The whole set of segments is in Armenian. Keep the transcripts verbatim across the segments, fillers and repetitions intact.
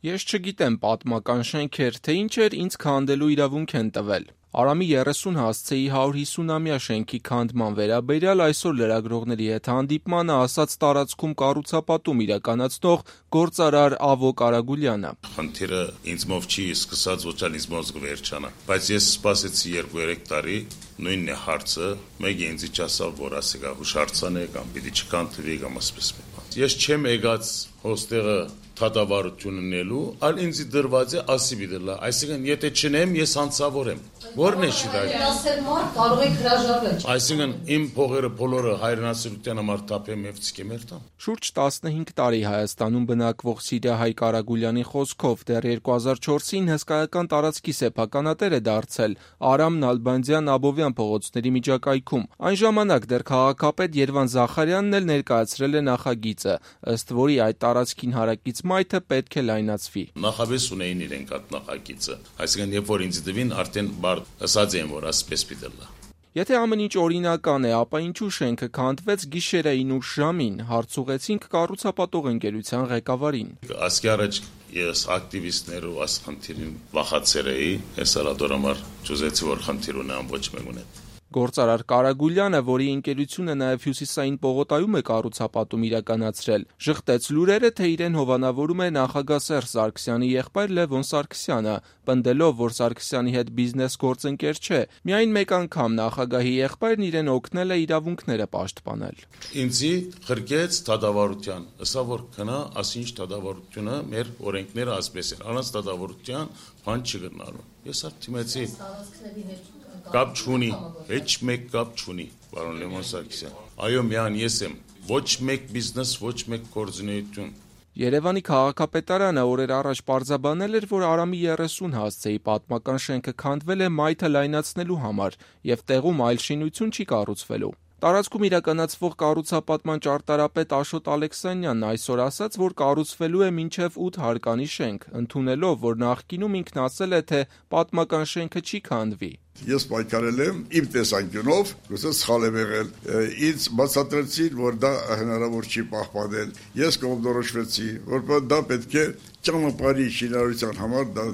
Ես չգիտեմ պատմական շենքեր, թե ինչ էր ինձ քանդելու իրավունք են տվել։ Արամի երեսուն հասցեի հարյուր հիսունամյա շենքի քանդման վերաբերյալ այսօր լրագրողների հետ հանդիպմանը ասաց տարածքում կառուցապատում իրականացնող գործարար Ավոկ Արագուլյանը։ Խնդիրը ինձմով չի սկսած, ոչ էլ ինձմով կվերջանա, բայց ես սպասեցի երկու-երեք տարի, նույնն է հարցը, մեկը ինձ չասավ, որ ասեգա հուշարձան է կամ պիտի չքանդվի կամ ասպես մի բան։ Ես չեմ եկած հոստեղը թադավարություննելու, այլ ինձ դրված է ասիբի դլա, այսինքն եթե չնեմ, ես հանցավոր եմ։ Որն է շիդայ։ Կարող եք հրաժարվել։ Այսինքն իմ փողերը բոլորը հայրենասիրության համար տապեմ եւ ցկեմ երթամ։ Շուրջ տասնհինգ տարի Հայաստանում բնակվող Սիրիահայ Արագուլյանի խոսքով դեռ երկու հազար չորսին հսկայական տարածքի սեփականատեր է դարձել Արամ Նալբանդյան Աբովյան փողոցների միջակայքում։ Այն ժամանակ դեռ քաղաքապետ Երվան Զախարյանն էլ ներկայացրել է նախագիծը, ըստ որի այդ տարածքին հարակից մայթը պետք է լայնացվի։ Նախաբես ունեին իրենք այդ նախագիծը, այսինքն երբ որ ինձ դվին արդեն բար ասած եմ որ ասպես պիտի լա։ Եթե ամեն ինչ օրինական է, ապա ինչու շենքը քանդվեց գիշերային ուշ ժամին, հարց ուղեցինք կառուցապատող ընկերության ղեկավարին։ Ասկի առաջ ես ակտիվիստներ ու այս խնդիրին վախացել էի, ես ալադորամար ճուզեցի որ խնդիր ունեմ ոչ մեկ ունեմ։ Գործարար Կարագուլյանը, որի ընկերությունը նաև Հյուսիսային պողոտայում է կառուցապատում իրականացրել, ժխտեց լուրերը, թե իրեն հովանավորում է նախագահ Սերժ Սարգսյանի եղբայր Լևոն Սարգսյանը, պնդելով, որ Սարգսյանի հետ բիզնես գործընկեր չէ, միայն մեկ անգամ նախագահի եղբայրն իրեն օգնել է իրավունքները պաշտպանել։ Ինձի խրկեց դատավարության, ասա որ քնա, ասինչ դատավարությունը մեր օրենքները ասպես են, առանց դատավարության բան չգտնալու։ Ես այդ թիմեցի կապ չունի, ոչ մեկ կապ չունի, պարոն Լևոն Սարգսյան։ Այո, միան ես եմ, ոչ մեկ բիզնես, ոչ մեկ գործունեություն։ Երևանի քաղաքապետարանը օրեր առաջ պարզաբանել էր, որ Արամի երեսուն հասցեի պատմական շենքը քանդվել է մայթը լայնացնելու համար եւ տեղում այլ շինություն չի կառուցվելու։ Տարածքում իրականացվող կառուցապատման ճարտարապետ Աշոտ Ալեքսանյանն այսօր ասաց, որ կառուցվելու է մինչև ութ հարկանի շենք, ընդունելով, որ նախկինում ինքն ասել է, թե պատմական շենքը չի քանդվի։ Ես պայքարել եմ իմ տեսանկյունով, գուցե սխալ եմ եղել։ Ինձ բացատրեցին, որ դա հնարավոր չի պահպանել։ Ես կողմնորոշվեցի, որ դա պետք է ճանապարհի շինարարության համար դա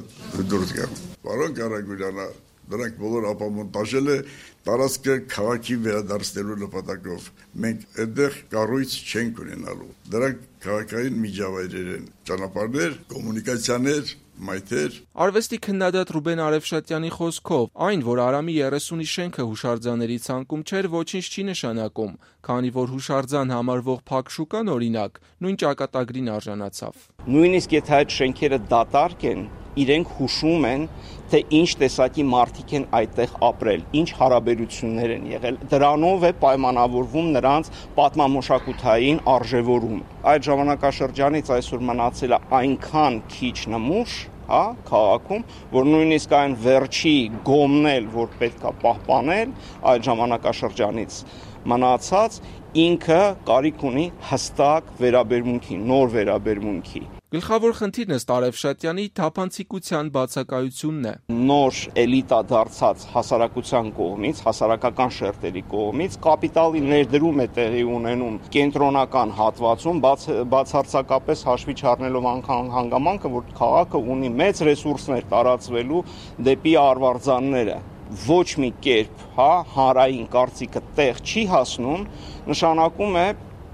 դուրս գա։ Պարոն Կարագուլյանը, դրանք բոլոր ապամոնտաժել է տարածքը քաղաքի վերադարձնելու նպատակով։ Մենք այդտեղ կառույց չենք ունենալու։ Դրանք քաղաքային միջավայրեր են, ճանապարհներ, կոմունիկացիաներ, մայթեր։ Արվեստի քննադատ Ռուբեն Արևշատյանի խոսքով, այն, որ Արամի երեսունի շենքը հուշարձանների ցանկում չէր, ոչինչ չի նշանակում, քանի որ հուշարձան համարվող փակ շուկան օրինակ նույն ճակատագրին արժանացավ։ Նույնիսկ եթե այդ շենքերը դատարկ են, իրենք հուշում են, թե ինչ տեսակի մարդիկ են այդտեղ ապրել, ինչ հարաբերություններ են եղել։ Դրանով է պայմանավորվում նրանց պատմամշակութային արժևորում։ Այդ ժամանակաշրջանից այսօր մնացել է այնքան քիչ նմուշ, հա, քաղաքում, որ նույնիսկ այն վերջի գոմն էլ, որ պետք է պահպանել, այդ ժամանակաշրջանից մնացած ինքը կարիք ունի հստակ վերաբերմունքի, նոր վերաբերմունքի։ Գլխավոր խնդիրն ըստ Արևշատյանի թափանցիկության բացակայությունն է։ Նոր էլիտա դարձած հասարակության կողմից, հասարակական շերտերի կողմից կապիտալի ներդրում է տեղի ունենում կենտրոնական հատվածում, բաց, բացարձակապես հաշվի չառնելով անգամ հանգամանքը, որ քաղաքը ունի մեծ ռեսուրսներ տարածվելու դեպի արվարձանները։ Ոչ մի կերպ, հա, հանրային կարծիքը տեղ չի հասնում, նշանակում է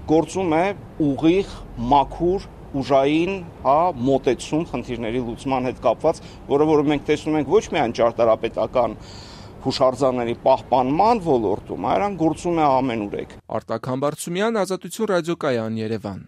գործում է ուղիղ, մաքուր ուժային, հա, մոտեցում խնդիրների լուծման հետ կապված, որը որ մենք տեսնում ենք ոչ միայն ճարտարապետական հուշարձանների պահպանման ոլորտում, այլ գործում է ամենուրեք։ Արտակ Համբարձումյան, Ազատություն ռադիոկայան, Երևան։